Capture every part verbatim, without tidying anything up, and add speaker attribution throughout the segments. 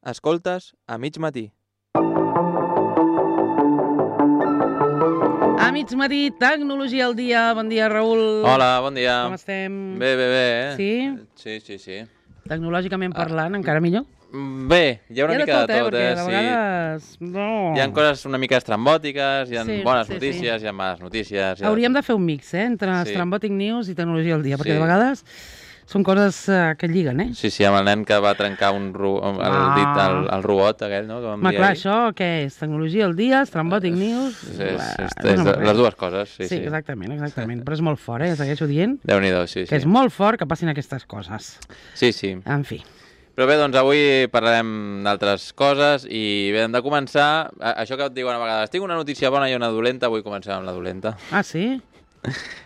Speaker 1: Escoltes a mig matí.
Speaker 2: A mig matí, Tecnologia al dia. Bon dia, Raül.
Speaker 1: Hola, bon dia.
Speaker 2: Com estem?
Speaker 1: Bé, bé, bé. Eh?
Speaker 2: Sí?
Speaker 1: Sí, sí, sí.
Speaker 2: Tecnològicament parlant, ah. encara millor?
Speaker 1: Bé, hi ha una
Speaker 2: hi ha
Speaker 1: mica
Speaker 2: de tot,
Speaker 1: de tot,
Speaker 2: eh?
Speaker 1: eh?
Speaker 2: Perquè de vegades... No.
Speaker 1: Hi ha coses una mica estrambòtiques, hi ha
Speaker 2: Sí,
Speaker 1: bones
Speaker 2: sí,
Speaker 1: notícies,
Speaker 2: sí.
Speaker 1: hi ha males notícies... Hi ha...
Speaker 2: Hauríem de fer un mix, eh? Entre
Speaker 1: Sí.
Speaker 2: Estrambòtic News i Tecnologia al dia, perquè
Speaker 1: Sí.
Speaker 2: de vegades són coses eh, que lliguen, eh?
Speaker 1: Sí, sí, amb el nen que va trencar un ro... el,
Speaker 2: Ah.
Speaker 1: dit, el, el robot aquell, no? Que vam
Speaker 2: Home,
Speaker 1: dir
Speaker 2: clar,
Speaker 1: ahir.
Speaker 2: això què és? Tecnologia al dia, Estrambòtic News...
Speaker 1: És, és, és,
Speaker 2: Eh,
Speaker 1: és
Speaker 2: no,
Speaker 1: de, les dues coses, sí,
Speaker 2: Sí,
Speaker 1: sí.
Speaker 2: exactament, exactament. Però és molt fort, eh? Segueixo dient
Speaker 1: Déu-n'hi-do, sí,
Speaker 2: que
Speaker 1: sí.
Speaker 2: és molt fort que passin aquestes coses.
Speaker 1: Sí, sí.
Speaker 2: En fi.
Speaker 1: Però bé, doncs avui parlarem d'altres coses i bé, hem de començar... a- Això que et diuen a vegades, tinc una notícia bona i una dolenta, avui comencem amb la dolenta.
Speaker 2: Ah, sí?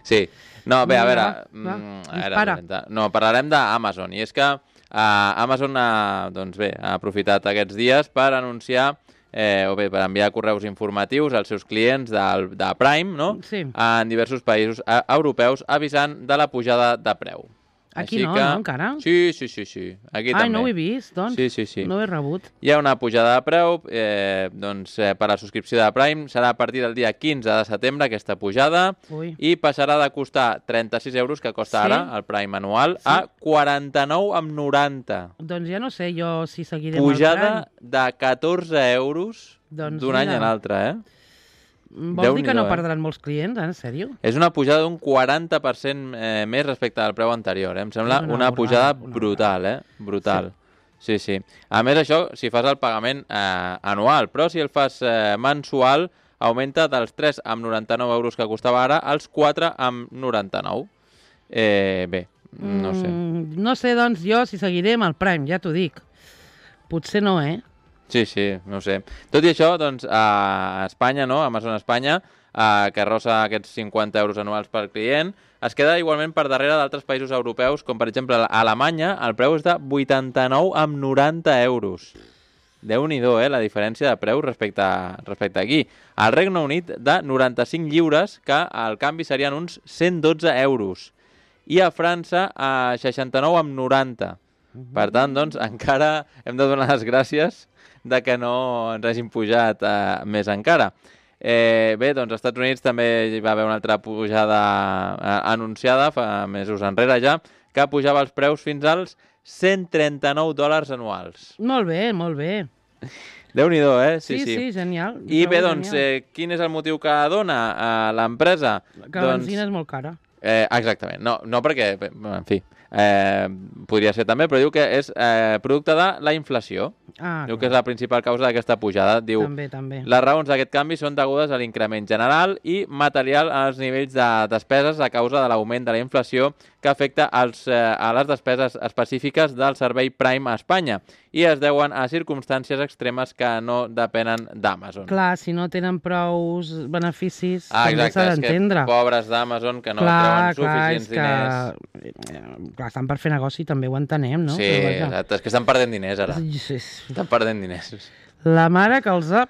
Speaker 1: Sí. No, bé, a veure...
Speaker 2: Va, va,
Speaker 1: mm,
Speaker 2: dispara.
Speaker 1: era dolenta. No, parlarem d'Amazon. I és que uh, Amazon ha, doncs bé, ha aprofitat aquests dies per anunciar eh, o bé, per enviar correus informatius als seus clients del, de Prime, no?
Speaker 2: Sí.
Speaker 1: En diversos països eh, europeus avisant de la pujada de preu.
Speaker 2: Aquí
Speaker 1: Així
Speaker 2: no,
Speaker 1: que...
Speaker 2: no, encara?
Speaker 1: Sí, sí, sí, sí. Aquí
Speaker 2: Ai,
Speaker 1: també.
Speaker 2: no ho he vist, doncs.
Speaker 1: Sí, sí, sí.
Speaker 2: No ho he rebut.
Speaker 1: Hi ha una pujada de preu, eh, doncs eh, per a la subscripció de Prime serà a partir del dia quinze de setembre aquesta pujada
Speaker 2: Ui.
Speaker 1: i passarà de costar trenta-sis euros que costa
Speaker 2: Sí?
Speaker 1: ara el Prime anual
Speaker 2: Sí?
Speaker 1: a quaranta-nou amb noranta.
Speaker 2: Doncs ja no sé jo si seguiré
Speaker 1: Pujada
Speaker 2: amb el
Speaker 1: de catorze euros
Speaker 2: Doncs
Speaker 1: d'un any
Speaker 2: mira.
Speaker 1: a l'altre, eh?
Speaker 2: Prime. Vols dir que
Speaker 1: Déu-n'hi-do,
Speaker 2: no
Speaker 1: eh?
Speaker 2: perdran molts clients, eh? En sèrio?
Speaker 1: És una pujada d'un quaranta per cent eh, més respecte al preu anterior. Eh? Em sembla
Speaker 2: És
Speaker 1: una,
Speaker 2: una
Speaker 1: una pujada
Speaker 2: borrada, una
Speaker 1: brutal, eh? Brutal. Sí. sí, sí. A més, això, si fas el pagament eh, anual, però si el fas eh, mensual, augmenta dels tres amb noranta-nou euros que costava ara als quatre amb noranta-nou. Eh, bé, no sé.
Speaker 2: Mm, no sé, doncs, jo si seguiré amb el Prime, ja t'ho dic. Potser no, eh?
Speaker 1: Sí, sí, no ho sé. Tot i això, doncs, a Espanya, no? Amazon Espanya, eh, que arrossa aquests cinquanta euros anuals per client, es queda igualment per darrere d'altres països europeus, com per exemple a Alemanya, el preu és de vuitanta-nou amb noranta euros. Déu-n'hi-do, eh, la diferència de preu respecte, respecte aquí. Al Regne Unit, de noranta-cinc lliures, que al canvi serien uns cent dotze euros. I a França, a seixanta-nou amb noranta. Per tant, doncs, encara hem de donar les gràcies de que no ens hagin pujat eh, més encara. Eh, bé, doncs als Estats Units també hi va haver una altra pujada eh, anunciada fa mesos enrere ja, que pujava els preus fins als cent trenta-nou dòlars anuals.
Speaker 2: Molt bé, molt bé.
Speaker 1: Déu-n'hi-do, eh?
Speaker 2: Sí, sí, sí genial.
Speaker 1: I bé,
Speaker 2: Trobo
Speaker 1: doncs,
Speaker 2: genial.
Speaker 1: eh, quin és el motiu que dona eh, l'empresa?
Speaker 2: Que la
Speaker 1: Doncs,
Speaker 2: benzina és molt cara.
Speaker 1: eh, exactament. No, no perquè, bé, en fi, eh, podria ser també, però diu que és eh, producte de la inflació.
Speaker 2: Ah,
Speaker 1: Diu que és la principal causa d'aquesta pujada. Diu,
Speaker 2: també, també.
Speaker 1: les raons d'aquest canvi són degudes a l'increment general i material als nivells de despeses a causa de l'augment de la inflació que afecta als, eh, a les despeses específiques del servei Prime a Espanya i es deuen a circumstàncies extremes que no depenen d'Amazon.
Speaker 2: Clar, si no tenen prous beneficis,
Speaker 1: Ah,
Speaker 2: també
Speaker 1: exacte,
Speaker 2: s'ha
Speaker 1: és que
Speaker 2: d'entendre.
Speaker 1: pobres d'Amazon que no
Speaker 2: clar,
Speaker 1: treuen
Speaker 2: clar,
Speaker 1: suficients
Speaker 2: és que...
Speaker 1: diners.
Speaker 2: Eh, clar, estan per fer negoci, també ho entenem, no?
Speaker 1: Sí,
Speaker 2: Però vaja.
Speaker 1: exacte, és que estan perdent diners ara.
Speaker 2: Sí, sí.
Speaker 1: Estan perdent diners.
Speaker 2: La mare que els ha...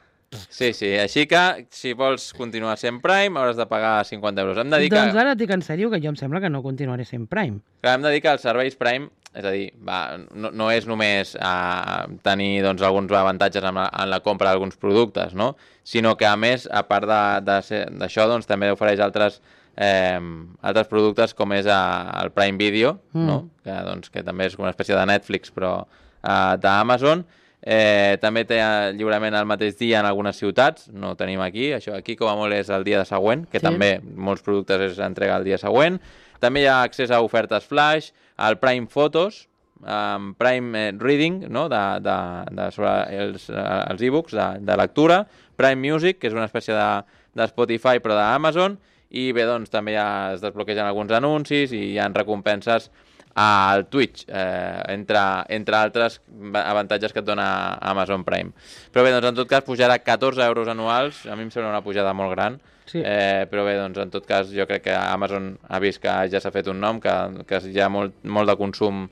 Speaker 1: Sí, sí, així que si vols continuar sent Prime hauràs de pagar cinquanta euros. Hem de dir
Speaker 2: Doncs
Speaker 1: que...
Speaker 2: ara et dic en sèrio que jo em sembla que no continuaré sent Prime.
Speaker 1: Clar, hem de dir que els serveis Prime, és a dir, va, no, no és només uh, tenir doncs, alguns avantatges en la, en la compra d'alguns productes, no? Sinó que, a més, a part d'això, doncs, també ofereix altres, eh, altres productes com és uh, el Prime Video, mm. no? que, doncs, que també és una espècie de Netflix, però uh, d'Amazon. Eh, també té lliurament el mateix dia en algunes ciutats, no ho tenim aquí, això aquí com a molt és el dia següent, que
Speaker 2: Sí.
Speaker 1: també molts productes es entrega el dia següent. També hi ha accés a ofertes flash, al Prime Photos, um, Prime Reading, no? de, de, de, sobre els, els e-books de, de lectura, Prime Music, que és una espècie de, de Spotify però d'Amazon, i bé, doncs també ja es desbloquegen alguns anuncis i hi ha recompenses al Twitch, eh, entre, entre altres avantatges que et dona Amazon Prime. Però bé, doncs en tot cas pujarà catorze euros anuals, a mi em sembla una pujada molt gran,
Speaker 2: Sí.
Speaker 1: eh, però bé, doncs en tot cas jo crec que Amazon ha vist que ja s'ha fet un nom, que, que hi ha molt, molt de consum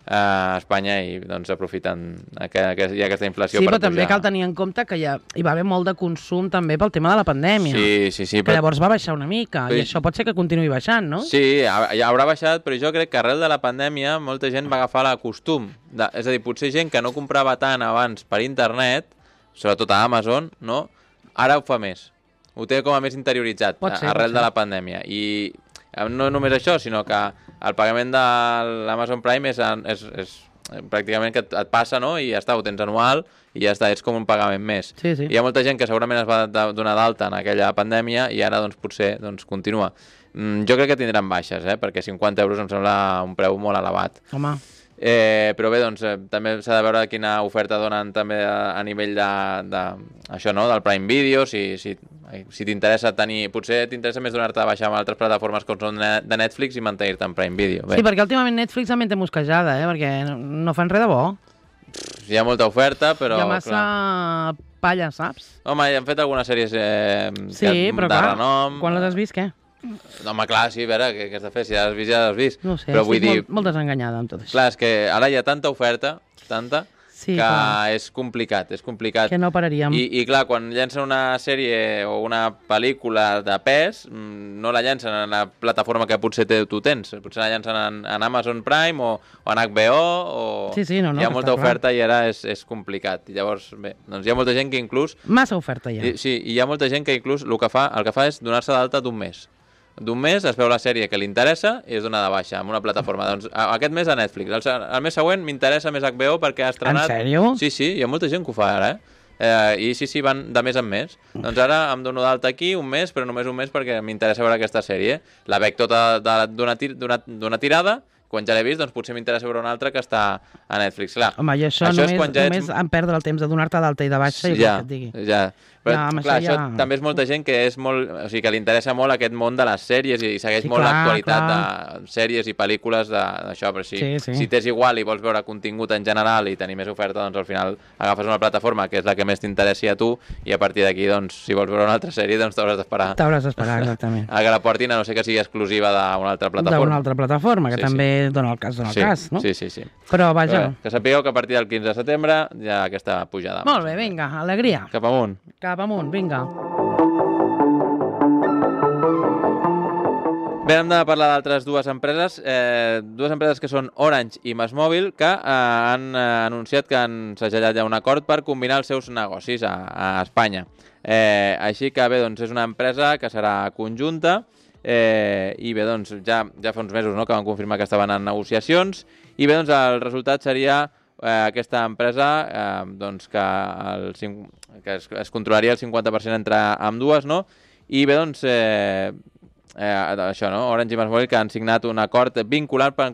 Speaker 1: a Espanya i doncs aprofiten que, que hi ha aquesta inflació
Speaker 2: sí,
Speaker 1: per
Speaker 2: pujar. Sí, però també
Speaker 1: pujar.
Speaker 2: cal tenir en compte que hi, ha, hi va haver molt de consum també pel tema de la pandèmia.
Speaker 1: Sí, sí, sí.
Speaker 2: Que
Speaker 1: però...
Speaker 2: llavors va baixar una mica,
Speaker 1: però...
Speaker 2: i això pot ser que continuï baixant, no?
Speaker 1: Sí, ja haurà baixat, però jo crec que arrel de la pandèmia molta gent va agafar la costum. De, és a dir, potser gent que no comprava tant abans per internet, sobretot a Amazon, no? Ara ho fa més. Ho té com a més interioritzat
Speaker 2: pot ser,
Speaker 1: arrel
Speaker 2: pot ser.
Speaker 1: de la pandèmia. I no només això, sinó que el pagament de l'Amazon Prime és, és, és pràcticament que et, et passa, no? I ja està, ho tens anual i ja està, és com un pagament més.
Speaker 2: Sí, sí.
Speaker 1: Hi ha molta gent que segurament es va donar d'alta en aquella pandèmia i ara doncs potser doncs, continua. Mm, jo crec que tindran baixes, eh? Perquè cinquanta euros em sembla un preu molt elevat.
Speaker 2: Home.
Speaker 1: Eh, però bé, doncs, eh, també s'ha de veure quina oferta donen també a, a nivell de, de, això, no? Del Prime Video, si, si, si t'interessa tenir... Potser t'interessa més donar-te a baixar amb altres plataformes com són de Netflix i mantenir-te en Prime Video. Bé.
Speaker 2: Sí, perquè últimament Netflix també té mosquejada, eh? Perquè no fan res de bo.
Speaker 1: Hi ha molta oferta, però...
Speaker 2: Hi ha massa clar. Palla, saps?
Speaker 1: Home, hi han fet algunes sèries eh,
Speaker 2: sí,
Speaker 1: que,
Speaker 2: però
Speaker 1: de
Speaker 2: clar,
Speaker 1: renom.
Speaker 2: Quan les has vist, què?
Speaker 1: No, home, clar, sí, a veure, què, què has de fer? Si ja l'has vist, ja l'has vist.
Speaker 2: No ho sé,
Speaker 1: però
Speaker 2: estic
Speaker 1: vull dir...
Speaker 2: molt, molt desenganyada amb tot això.
Speaker 1: Clar, és que ara hi ha tanta oferta, tanta,
Speaker 2: sí,
Speaker 1: que
Speaker 2: clar.
Speaker 1: és complicat, és complicat.
Speaker 2: Que no pararíem.
Speaker 1: I, I clar, quan llencen una sèrie o una pel·lícula de pes, no la llencen en la plataforma que potser te, tu tens. Potser la llencen en, en Amazon Prime o, o en H B O, o...
Speaker 2: Sí, sí, no, no,
Speaker 1: hi ha molta oferta
Speaker 2: clar.
Speaker 1: I ara és, és complicat. I llavors, bé, doncs hi ha molta gent que inclús...
Speaker 2: Massa oferta ja.
Speaker 1: I, sí, i hi ha molta gent que inclús el que fa, el que fa és donar-se d'alta d'un mes. D'un mes es veu la sèrie que li interessa i es dona de baixa en una plataforma. Doncs aquest mes a Netflix. El, el mes següent m'interessa més H B O perquè ha estrenat...
Speaker 2: En sèrio?
Speaker 1: Sí, sí, hi ha molta gent que ho fa ara, eh? eh I sí, sí, van de mes en mes. Doncs ara em dono d'alta aquí un mes, però només un mes perquè m'interessa veure aquesta sèrie. La veig tota d'una tir tirada, quan ja l'he vist, doncs potser m'interessa veure una altra que està a Netflix. Clar,
Speaker 2: home, i això, això només, ja només ets... en perdre el temps de donar-te d'alta i de baixa i ja, que et digui.
Speaker 1: Ja, però
Speaker 2: ja,
Speaker 1: clar, això,
Speaker 2: ja...
Speaker 1: això també és molta gent que és molt, o sigui, que li interessa molt aquest món de les sèries i segueix
Speaker 2: sí,
Speaker 1: molt l'actualitat
Speaker 2: clar.
Speaker 1: de sèries i pel·lícules d'això, però si,
Speaker 2: sí, sí.
Speaker 1: si t'és igual i vols veure contingut en general i tenir més oferta, doncs al final agafes una plataforma que és la que més t'interessi a tu i a partir d'aquí, doncs, si vols veure una altra sèrie, doncs t'hauràs d'esperar.
Speaker 2: T'hauràs d'esperar, exactament.
Speaker 1: A que la portin, a no ser que sigui exclusiva d'una altra plataforma.
Speaker 2: D'una altra plataforma, que
Speaker 1: sí,
Speaker 2: també
Speaker 1: sí.
Speaker 2: dona el cas, dona el
Speaker 1: sí,
Speaker 2: cas, no?
Speaker 1: Sí, sí, sí.
Speaker 2: Però, vaja...
Speaker 1: Però, que sapigueu que a partir del quinze de setembre hi ha aquesta pujada.
Speaker 2: Molt bé, vinga, alegria.
Speaker 1: Cap amunt.
Speaker 2: Cap amunt, vinga.
Speaker 1: Bé, hem de parlar d'altres dues empreses, eh, dues empreses que són Orange i MásMóvil, que eh, han eh, anunciat que han segellat ja un acord per combinar els seus negocis a, a Espanya. Eh, així que bé, doncs és una empresa que serà conjunta eh, i bé, doncs ja, ja fa uns mesos, no?, que van confirmar que estaven en negociacions i bé, doncs el resultat seria eh, aquesta empresa eh, doncs que, el, que es, es controlaria el cinquanta per cent entre ambdues, no? I bé, doncs... Eh, Eh, això, no? Orange i MásMóvil que han signat un acord vinculant per,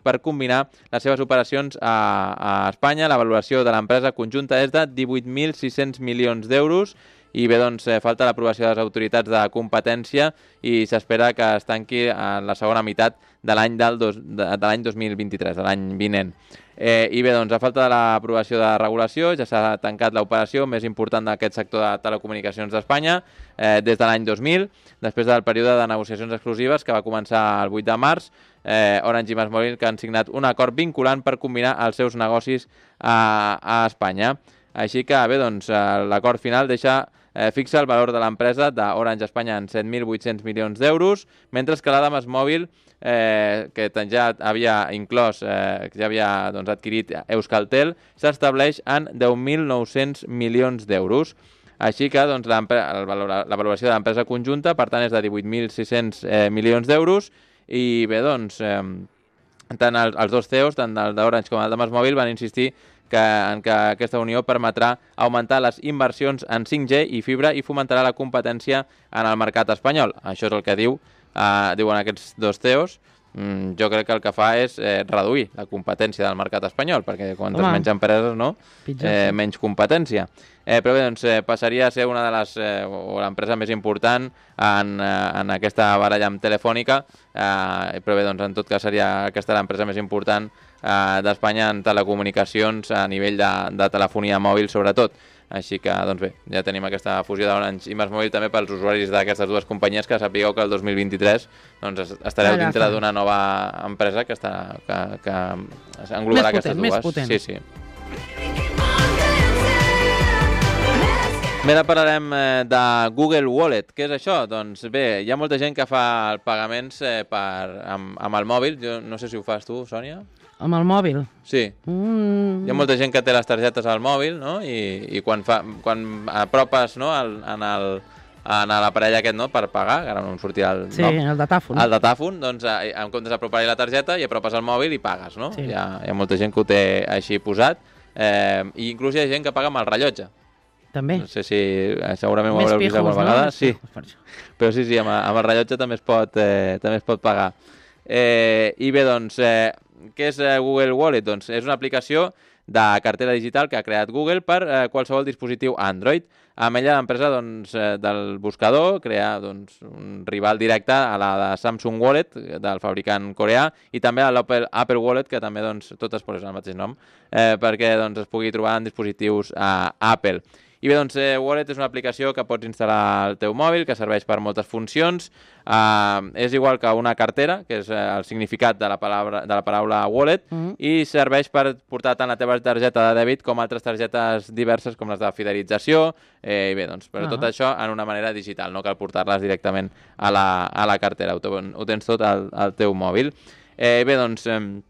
Speaker 1: per combinar les seves operacions a, a Espanya. La valoració de l'empresa conjunta és de divuit mil sis-cents milions d'euros i bé, doncs, eh, falta l'aprovació de les autoritats de competència i s'espera que es tanqui en la segona meitat de l'any del dos, de, de l'any dos mil vint-i-tres, de l'any vinent. Eh, I bé, doncs, a falta de l'aprovació de regulació, ja s'ha tancat l'operació més important d'aquest sector de telecomunicacions d'Espanya eh, des de l'any dos mil, després del període de negociacions exclusives que va començar el vuit de març, eh, Orange i MásMóvil que han signat un acord vinculant per combinar els seus negocis a, a Espanya. Així que, bé, doncs, l'acord final deixa eh, fixa el valor de l'empresa d'Orange Espanya en set mil vuit-cents milions d'euros, mentre que la de MásMóvil Eh, que ja havia inclòs, eh, que ja havia doncs, adquirit Euskaltel, s'estableix en deu mil nou-cents milions d'euros. Així que doncs, la, la valoració de l'empresa conjunta, per tant, és de divuit mil sis-cents eh, milions d'euros i bé, doncs, eh, tant els, els dos C E Os, tant el d'Orange com el de MásMóvil, van insistir que, en que aquesta unió permetrà augmentar les inversions en cinc G i fibra i fomentarà la competència en el mercat espanyol. Això és el que diu Uh, diuen aquests dos C E Os. mm, jo crec que el que fa és eh, reduir la competència del mercat espanyol, perquè quantes
Speaker 2: Home,
Speaker 1: menys empreses, no? Eh, menys competència. Eh, però bé, doncs eh, passaria a ser una de les, eh, o l'empresa més important en, eh, en aquesta baralla amb Telefònica, eh, però bé, doncs en tot cas seria aquesta l'empresa més important eh, d'Espanya en telecomunicacions a nivell de, de telefonia mòbil, sobretot. Així que, doncs bé, ja tenim aquesta fusió d'Orange i MásMóvil també pels usuaris d'aquestes dues companyies, que sapigueu que el dos mil vint-i-tres doncs, estareu
Speaker 2: Allà
Speaker 1: dintre
Speaker 2: està.
Speaker 1: d'una nova empresa que, està, que, que englobarà
Speaker 2: Més
Speaker 1: aquestes
Speaker 2: potent, més
Speaker 1: dues.
Speaker 2: potent.
Speaker 1: Sí, sí. Bé, ara parlarem eh, de Google Wallet. Què és això? Doncs bé, hi ha molta gent que fa pagaments eh, per, amb, amb el mòbil. Jo no sé si ho fas tu, Sònia.
Speaker 2: Amb el mòbil?
Speaker 1: Sí.
Speaker 2: Mm.
Speaker 1: Hi ha molta gent que té les targetes al mòbil, no? I, i quan, fa, quan apropes, no, al, en el en l'aparell aquest, no?, per pagar, que ara no em sortia el
Speaker 2: Sí,
Speaker 1: nom.
Speaker 2: el datàfon.
Speaker 1: El datàfon, doncs eh, en comptes d'apropar-hi la targeta i apropes el mòbil i pagues, no?
Speaker 2: Sí.
Speaker 1: Hi ha, hi ha molta gent que ho té així posat, eh, i inclús hi ha gent que paga amb el rellotge.
Speaker 2: També.
Speaker 1: No sé si eh, segurament ho
Speaker 2: Més
Speaker 1: haureu vist
Speaker 2: pijos,
Speaker 1: alguna
Speaker 2: no?
Speaker 1: vegada.
Speaker 2: Més
Speaker 1: Sí,
Speaker 2: pijos, per això.
Speaker 1: però sí, sí, amb, amb el rellotge també es pot, eh, també es pot pagar. Eh, I bé, doncs, eh, què és eh, Google Wallet? Doncs és una aplicació de cartera digital que ha creat Google per eh, qualsevol dispositiu Android. Amb ella l'empresa doncs, eh, del buscador crea doncs, un rival directe a la de Samsung Wallet, del fabricant coreà, i també a l'Apple Apple Wallet, que també doncs, totes posen el mateix nom, eh, perquè doncs, es pugui trobar en dispositius a Apple. I bé, doncs, eh, Wallet és una aplicació que pots instal·lar al teu mòbil, que serveix per moltes funcions. Uh, és igual que una cartera, que és eh, el significat de la paraula, de la paraula wallet,
Speaker 2: Mm.
Speaker 1: i serveix per portar tant la teva targeta de dèbit com altres targetes diverses, com les de fidelització, eh, i bé, doncs, però
Speaker 2: Ah.
Speaker 1: tot això en una manera digital, no cal portar-les directament a la, a la cartera, ho, te- ho tens tot al, al teu mòbil. Eh, bé, doncs... Eh,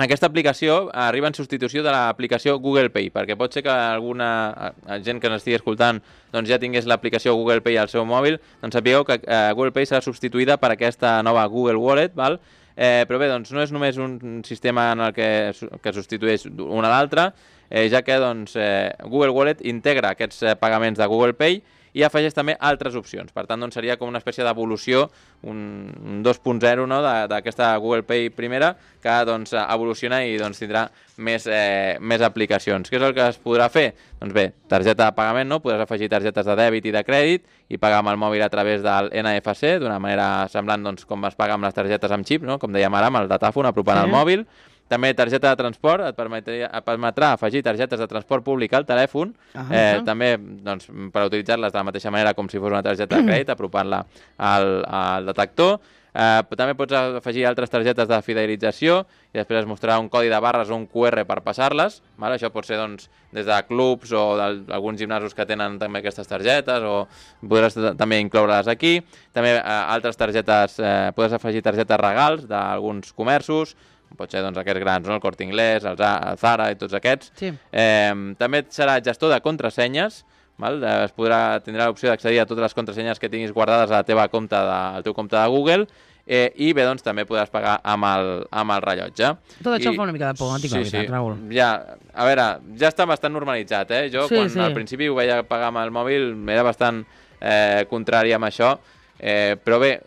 Speaker 1: Aquesta aplicació arriba en substitució de l'aplicació Google Pay, perquè pot ser que alguna gent que ens estigui escoltant doncs ja tingués l'aplicació Google Pay al seu mòbil, doncs sapigueu que eh, Google Pay serà substituïda per aquesta nova Google Wallet, val? Eh, però bé, doncs no és només un sistema en el que, que substitueix una a l'altra, eh, ja que doncs, eh, Google Wallet integra aquests eh, pagaments de Google Pay i afegeix també altres opcions. Per tant, doncs, seria com una espècie d'evolució, un, un dos punt zero, no?, d'aquesta Google Pay primera, que doncs, evoluciona i doncs, tindrà més, eh, més aplicacions. Què és el que es podrà fer? Doncs bé, targeta de pagament, no? Podràs afegir targetes de dèbit i de crèdit i pagar amb el mòbil a través del N F C, d'una manera semblant doncs, com es paga amb les targetes amb xip, no? Com dèiem ara, amb el datàfon, apropant
Speaker 2: Sí.
Speaker 1: el mòbil. També targeta de transport, et, permetria, et permetrà afegir targetes de transport públic al telèfon,
Speaker 2: Ah,
Speaker 1: eh,
Speaker 2: ah.
Speaker 1: també doncs, per utilitzar-les de la mateixa manera com si fos una targeta de crèdit, apropant-la al, al detector. Eh, també pots afegir altres targetes de fidelització i després es mostrarà un codi de barres o un Q R per passar-les. Vale? Això pot ser doncs, des de clubs o d'alguns gimnasos que tenen també aquestes targetes, o podràs també incloure-les aquí. També eh, altres targetes, eh, podràs afegir targetes regals d'alguns comerços, pot ser doncs, aquests grans, no? El Corte Inglés, el Zara i tots aquests.
Speaker 2: Sí.
Speaker 1: Eh, també serà gestor de contrasenyes, val? Eh, es podrà, tindrà l'opció d'accedir a totes les contrasenyes que tinguis guardades a la teva compte de, al teu compte de Google, eh, i bé, doncs també podràs pagar amb el, amb el rellotge.
Speaker 2: Tot això
Speaker 1: I,
Speaker 2: em fa una mica de por, no tinc la veritat, Raül.
Speaker 1: Ja, a veure, ja està bastant normalitzat, eh? Jo
Speaker 2: Sí,
Speaker 1: quan
Speaker 2: sí.
Speaker 1: al principi ho veia pagar amb el mòbil era bastant eh, contrari amb això. Eh, però bé,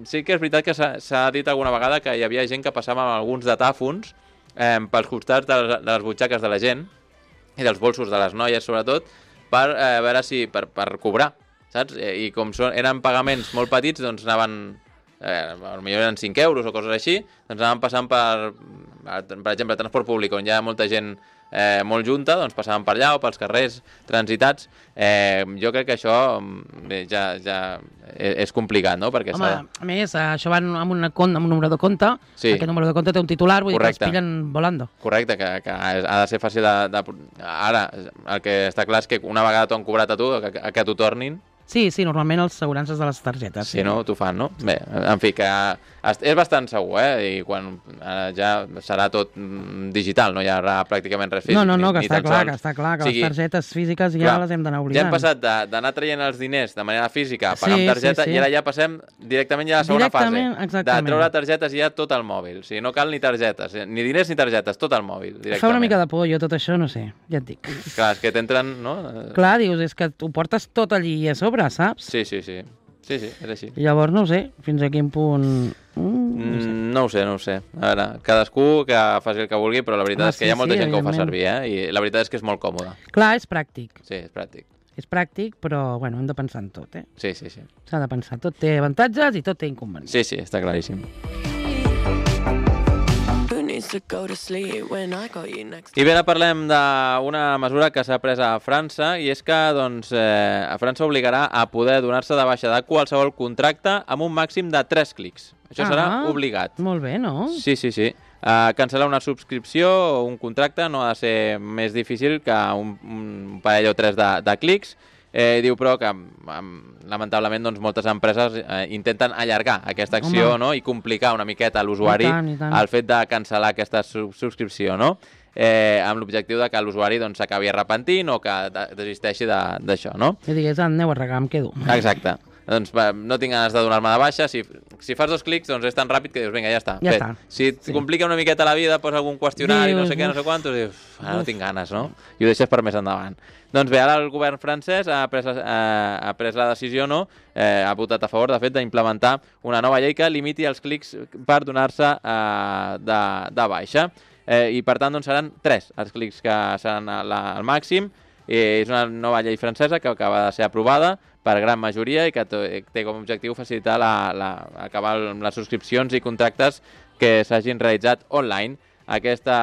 Speaker 1: sí que és veritat que s'ha dit alguna vegada que hi havia gent que passava amb alguns datàfons eh, pels costats de les, de les butxaques de la gent i dels bolsos de les noies, sobretot, per eh, veure si per, per cobrar, saps? Eh, I com són, eren pagaments molt petits, doncs anaven, eh, potser eren cinc euros o coses així, doncs anaven passant per, per exemple, transport públic, on hi ha molta gent eh, molt junta, doncs passaven per allà o pels carrers transitats. Eh, jo crec que això bé, ja, ja és complicat, no? Perquè
Speaker 2: Home,
Speaker 1: s'ha...
Speaker 2: a més, això va amb, una compte, amb un número de compte,
Speaker 1: Sí.
Speaker 2: aquest número de compte té un titular, vull
Speaker 1: Correcte.
Speaker 2: dir que els pillen volando.
Speaker 1: Correcte, que, que ha de ser fàcil de, de... Ara, el que està clar és que una vegada t'ho han cobrat a tu, que, que t'ho tornin,
Speaker 2: Sí, sí, normalment els assegurances de les targetes.
Speaker 1: si no, t'ho fan, no? Bé, en fi, que és bastant segur, eh? I quan eh, ja serà tot mm, digital, no hi haurà pràcticament res físic.
Speaker 2: No, no, no,
Speaker 1: ni,
Speaker 2: que
Speaker 1: ni
Speaker 2: està
Speaker 1: tan
Speaker 2: clar,
Speaker 1: sols.
Speaker 2: que està clar, que
Speaker 1: O sigui,
Speaker 2: les targetes físiques ja
Speaker 1: clar,
Speaker 2: les hem d'anar
Speaker 1: Ja
Speaker 2: oblidant.
Speaker 1: hem passat de- d'anar traient els diners de manera física, a pagar
Speaker 2: Sí,
Speaker 1: amb targeta,
Speaker 2: sí, sí.
Speaker 1: i ara ja passem directament ja a la segona
Speaker 2: Directament,
Speaker 1: fase.
Speaker 2: exactament.
Speaker 1: De treure targetes ja tot al mòbil. O sigui, no cal ni targetes, eh, ni diners ni targetes, tot al mòbil, directament.
Speaker 2: Fa una mica de por, jo tot això, no sé, ja et dic.
Speaker 1: Clar, és que t'entren, no?
Speaker 2: Clar, dius, és que ho portes tot allí a sobre, saps?
Speaker 1: Sí, sí, sí. Sí, sí, és així.
Speaker 2: I llavors no ho sé, fins a quin punt... Mm, no sé.
Speaker 1: Mm, no ho sé, no ho sé. A veure, cadascú que faci el que vulgui, però la veritat
Speaker 2: Home,
Speaker 1: és que
Speaker 2: sí,
Speaker 1: hi ha molta
Speaker 2: sí,
Speaker 1: gent que ho fa
Speaker 2: evidentment.
Speaker 1: servir, eh? I la veritat és que és molt còmode.
Speaker 2: Clar, és pràctic.
Speaker 1: Sí, és pràctic.
Speaker 2: És pràctic, però, bueno, hem de pensar en tot, eh?
Speaker 1: Sí, sí, sí.
Speaker 2: S'ha de pensar. Tot té avantatges i tot té inconvenients.
Speaker 1: Sí, sí, està claríssim.
Speaker 3: Britney
Speaker 1: I bé, ara parlem d'una mesura que s'ha pres a França i és que doncs, eh, a França obligarà a poder donar-se de baixa de qualsevol contracte amb un màxim de tres clics. Això serà
Speaker 2: Ah,
Speaker 1: obligat.
Speaker 2: Molt bé, no?
Speaker 1: Sí, sí, sí. Uh, cancel·lar una subscripció o un contracte no ha de ser més difícil que un, un parell o tres de, de clics. Eh, diu, però, que um, lamentablement doncs, moltes empreses eh, intenten allargar aquesta acció, no? I complicar una miqueta a l'usuari el fet de cancel·lar aquesta sub subscripció, no? Eh, amb l'objectiu de que l'usuari doncs, s'acabi arrepentint o que de desisteixi d'això, no?
Speaker 2: I digués, aneu a regar, em quedo.
Speaker 1: Exacte. Doncs va, no tinc ganes de donar-me de baixa, si, si fas dos clics doncs és tan ràpid que dius, vinga, ja està,
Speaker 2: ja
Speaker 1: fet.
Speaker 2: Està.
Speaker 1: Si et sí. complica una miqueta la vida, posa algun qüestionari, dius, no sé què, no sé quantos, i dius, ah, no tinc ganes, no? I ho deixes per més endavant. Doncs bé, ara el govern francès ha pres, eh, ha pres la decisió, no? Eh, ha votat a favor, de fet, d'implementar una nova llei que limiti els clics per donar-se eh, de, de baixa. Eh, I per tant, doncs, seran tres els clics que seran la, el màxim. Eh, és una nova llei francesa que acaba de ser aprovada per gran majoria i que té com a objectiu facilitar la, la, acabar amb les subscripcions i contractes que s'hagin realitzat online. Aquesta,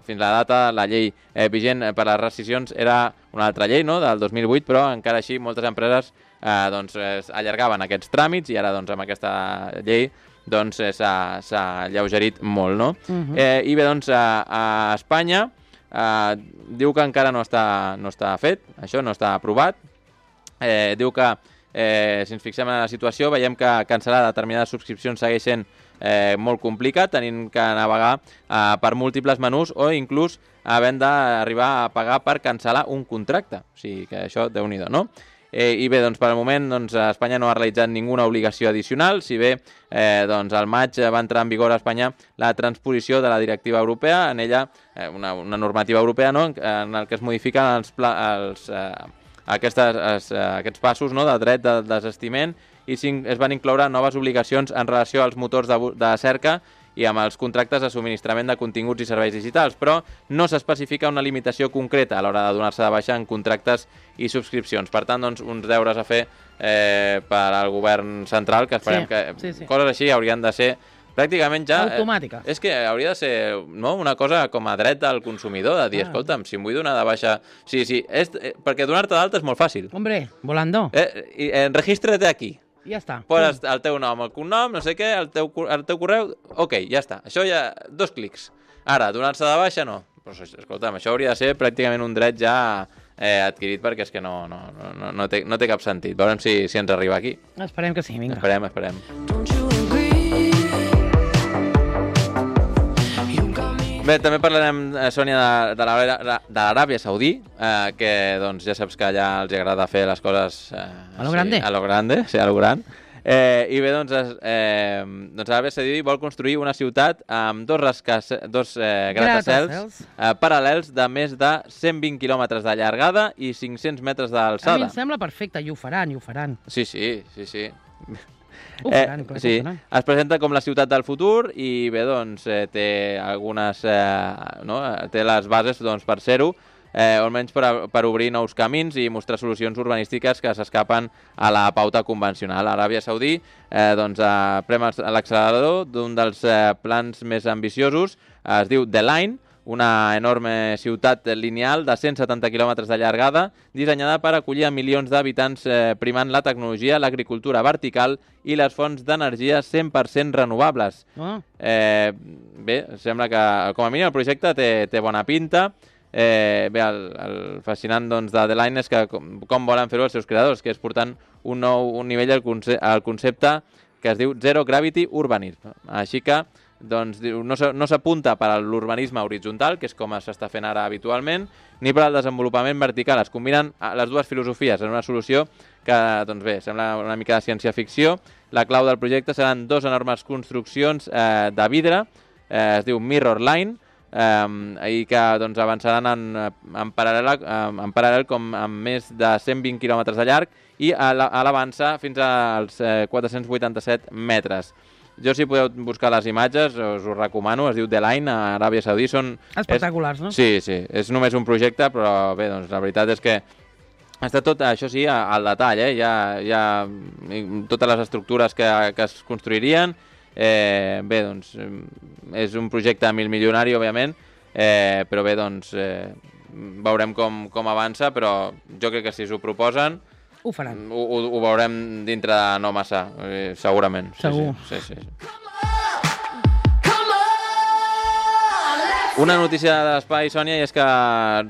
Speaker 1: fins a la data, la llei eh, vigent per a les rescissions era una altra llei, no?, del dos mil vuit, però encara així moltes empreses eh, doncs, eh, allargaven aquests tràmits i ara doncs, amb aquesta llei doncs, eh, s'ha alleugerit molt, no? Uh-huh. eh, I bé, doncs, a, a Espanya eh, diu que encara no està, no està fet, això no està aprovat. Eh, diu que, eh, si ens fixem en la situació, veiem que cancel·lar determinades subscripcions segueix sent eh, molt complicat, tenint que navegar eh, per múltiples menús o inclús havent d'arribar a pagar per cancel·lar un contracte. O sigui que això, déu-n'hi-do, no? Eh, I bé, doncs, per al moment, doncs, Espanya no ha realitzat ninguna obligació addicional, si bé eh, doncs, al maig va entrar en vigor a Espanya la transposició de la directiva europea, en ella, eh, una, una normativa europea, no?, en, en el que es modifiquen els, pla, els eh, Aquestes, es, aquests passos, no?, de dret de desestiment i es van incloure noves obligacions en relació als motors de, de cerca i amb els contractes de subministrament de continguts i serveis digitals, però no s'especifica una limitació concreta a l'hora de donar-se de baixa en contractes i subscripcions. Per tant, doncs, uns deures a fer eh, per al govern central, que esperem sí, que sí, sí. coses així haurien de ser pràcticament ja...
Speaker 2: automàtica.
Speaker 1: Eh, és que hauria de ser, no?, una cosa com a dret del consumidor, de dir, ah. escolta'm, si em vull donar de baixa... Sí, sí, és, eh, perquè donar-te d'alta és molt fàcil.
Speaker 2: Hombre, volando.
Speaker 1: Eh, eh, Regístrate aquí.
Speaker 2: Ja està.
Speaker 1: Poses sí. el teu nom, el cognom, no sé què, el teu, el teu correu... Ok, ja està. Això ja... Dos clics. Ara, donar-se de baixa, no. Però, escolta'm, això hauria de ser pràcticament un dret ja eh, adquirit, perquè és que no, no, no, no, té, no té cap sentit. Veurem si, si ens arriba aquí.
Speaker 2: Esperem que sí, vinga.
Speaker 1: Esperem, esperem. Bé, també parlarem, eh, Sònia, de, de l'Aràbia Saudí, eh, que doncs, ja saps que allà els agrada fer les coses... Eh,
Speaker 2: a lo grande.
Speaker 1: Sí, a lo grande, sí, a lo gran. Eh, I bé, doncs, eh, doncs l'Aràbia Saudí vol construir una ciutat amb dos, rascas, dos eh, gratacels eh, paral·lels de més de cent vint quilòmetres de llargada i cinc-cents metres d'alçada.
Speaker 2: A mi em sembla perfecte, i ho faran, i ho faran.
Speaker 1: Sí, sí, sí, sí.
Speaker 2: Uh, eh, faran, clar,
Speaker 1: sí, es presenta com la ciutat del futur i bé, doncs, eh, té algunes, eh, no? té les bases doncs, per ser-ho, eh, almenys per, per obrir nous camins i mostrar solucions urbanístiques que s'escapen a la pauta convencional. L'Aràbia Saudí eh, doncs, eh, prem l'accelerador d'un dels eh, plans més ambiciosos, eh, es diu The Line, una enorme ciutat lineal de cent setanta quilòmetres de llargada, dissenyada per acollir a milions d'habitants eh, primant la tecnologia, l'agricultura vertical i les fonts d'energia cent per cent renovables. Oh. Eh, bé, sembla que com a mínim el projecte té, té bona pinta. Eh, bé, el, el fascinant doncs, de The Line és que com, com volen fer-ho els seus creadors, que és portant un nou un nivell al, conce al concepte que es diu Zero Gravity Urbanism. Així que doncs, no s'apunta per a l'urbanisme horitzontal, que és com s'està fent ara habitualment, ni per al desenvolupament vertical. Es combinen les dues filosofies en una solució que, doncs bé, sembla una mica de ciència-ficció. La clau del projecte seran dos enormes construccions eh, de vidre, eh, es diu Mirror Line, eh, i que doncs, avançaran en, en, paral·lel, en paral·lel com amb més de cent vint quilòmetres de llarg i a l'avança fins als eh, quatre-cents vuitanta-set metres. Jo, si podeu buscar les imatges, us ho recomano, es diu The Line, a Aràbia Saudí. Són
Speaker 2: espectaculars,
Speaker 1: és,
Speaker 2: no?
Speaker 1: Sí, sí, és només un projecte, però bé, doncs la veritat és que està tot, això sí, al detall, eh? Hi ha, hi ha totes les estructures que, que es construirien Eh, bé, doncs, és un projecte milmilionari, òbviament, eh, però bé, doncs, eh, veurem com, com avança, però jo crec que si s'ho proposen,
Speaker 2: Ho faran.
Speaker 1: ho, ho, ho veurem dintre de no massa, eh, segurament.
Speaker 2: Segur.
Speaker 1: Sí, sí, sí, sí. Una notícia de l'espai, Sònia, i és que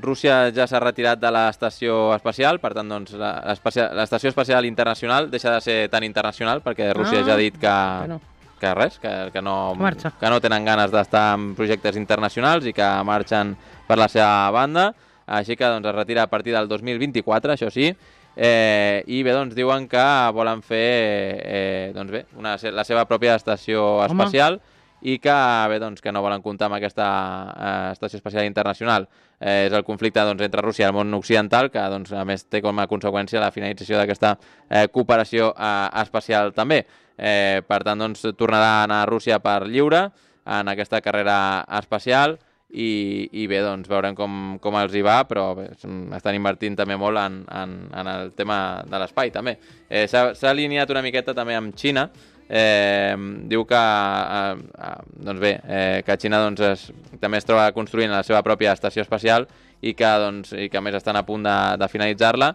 Speaker 1: Rússia ja s'ha retirat de l'estació espacial, per tant, doncs, l'estació espacial internacional deixa de ser tan internacional, perquè Rússia
Speaker 2: Ah,
Speaker 1: ja ha dit que,
Speaker 2: que no.
Speaker 1: que res, que, que, no,
Speaker 2: Marxa.
Speaker 1: que no tenen ganes d'estar en projectes internacionals i que marxen per la seva banda, així que doncs, es retira a partir del dos mil vint-i-quatre, això sí, eh, i bé, doncs, diuen que volen fer eh, doncs bé, una, la seva pròpia estació espacial, Home. i que, bé, doncs, que no volen comptar amb aquesta eh, estació espacial internacional. Eh, és el conflicte doncs, entre Rússia i el món occidental, que doncs, a més té com a conseqüència la finalització d'aquesta eh, cooperació eh, espacial també. Eh, per tant, doncs, tornarà a anar a Rússia per lliure en aquesta carrera espacial i, i bé, doncs, veurem com, com els hi va, però bé, estan invertint també molt en, en, en el tema de l'espai, també. Eh, s'ha alineat una miqueta també amb Xina. Eh, diu que eh, eh, doncs bé, eh, que Xina doncs, es, també es troba construint la seva pròpia estació espacial i que, doncs, i que a més estan a punt de, de finalitzar-la,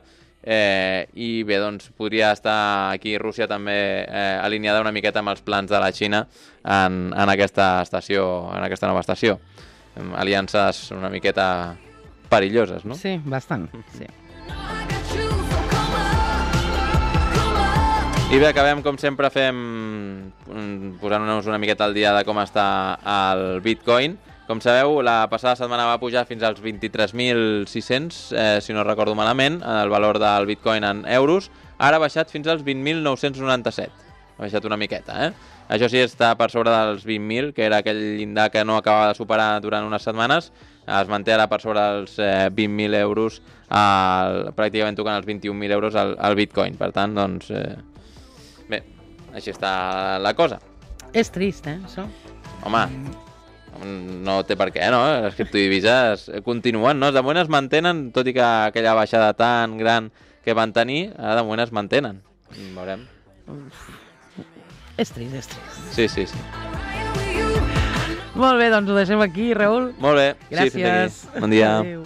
Speaker 1: eh, i bé, doncs podria estar aquí Rússia també eh, alineada una miqueta amb els plans de la Xina en, en aquesta estació, en aquesta nova estació. Aliances una miqueta perilloses, no?
Speaker 2: Sí, bastant, sí.
Speaker 1: I bé, acabem, com sempre, fem posant-nos una miqueta al dia de com està el Bitcoin. Com sabeu, la passada setmana va pujar fins als vint-i-tres mil sis-cents, eh, si no recordo malament, el valor del Bitcoin en euros. Ara ha baixat fins als vint mil nou-cents noranta-set. Ha baixat una miqueta, eh? Això sí, està per sobre dels vint mil, que era aquell llindar que no acabava de superar durant unes setmanes. Es manté ara per sobre dels eh, vint mil euros, el, pràcticament tocant els vint-i-un mil euros al, al Bitcoin. Per tant, doncs... Eh, bé, així està la cosa.
Speaker 2: És trist, eh, això?
Speaker 1: Home, no té per què, no? Les criptodivises continuen, no? De moment es mantenen, tot i que aquella baixada tan gran que van tenir, ara de moment es mantenen. Veurem.
Speaker 2: És trist, és trist.
Speaker 1: Sí, sí, sí.
Speaker 2: Molt bé, doncs ho deixem aquí, Raül.
Speaker 1: Molt bé.
Speaker 2: Gràcies.
Speaker 1: Sí, fins aquí. Bon dia.
Speaker 2: Adéu.